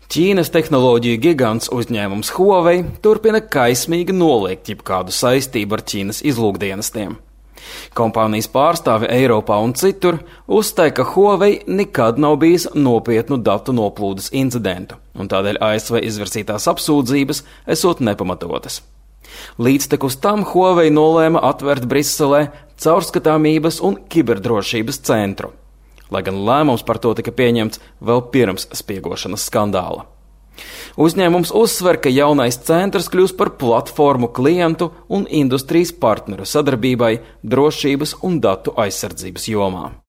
Ķīnas tehnoloģiju gigants uzņēmums Huawei turpina kaismīgi noliegt jebkādu saistību ar Ķīnas izlūkdienestiem. Kompānijas pārstāvi Eiropā un citur uzstāja, ka Huawei nekad nav bijis nopietnu datu noplūdes incidentu, un tādēļ ASV izvirsītās apsūdzības esot nepamatotas. Līdztekus tam Huawei nolēma atvērt Briselē caurskatāmības un kiberdrošības centru, lai gan lēmums par to tika pieņemts vēl pirms spiegošanas skandāla. Uzņēmums uzsver, ka jaunais centrs kļūs par platformu klientu un industrijas partneru sadarbībai drošības un datu aizsardzības jomā.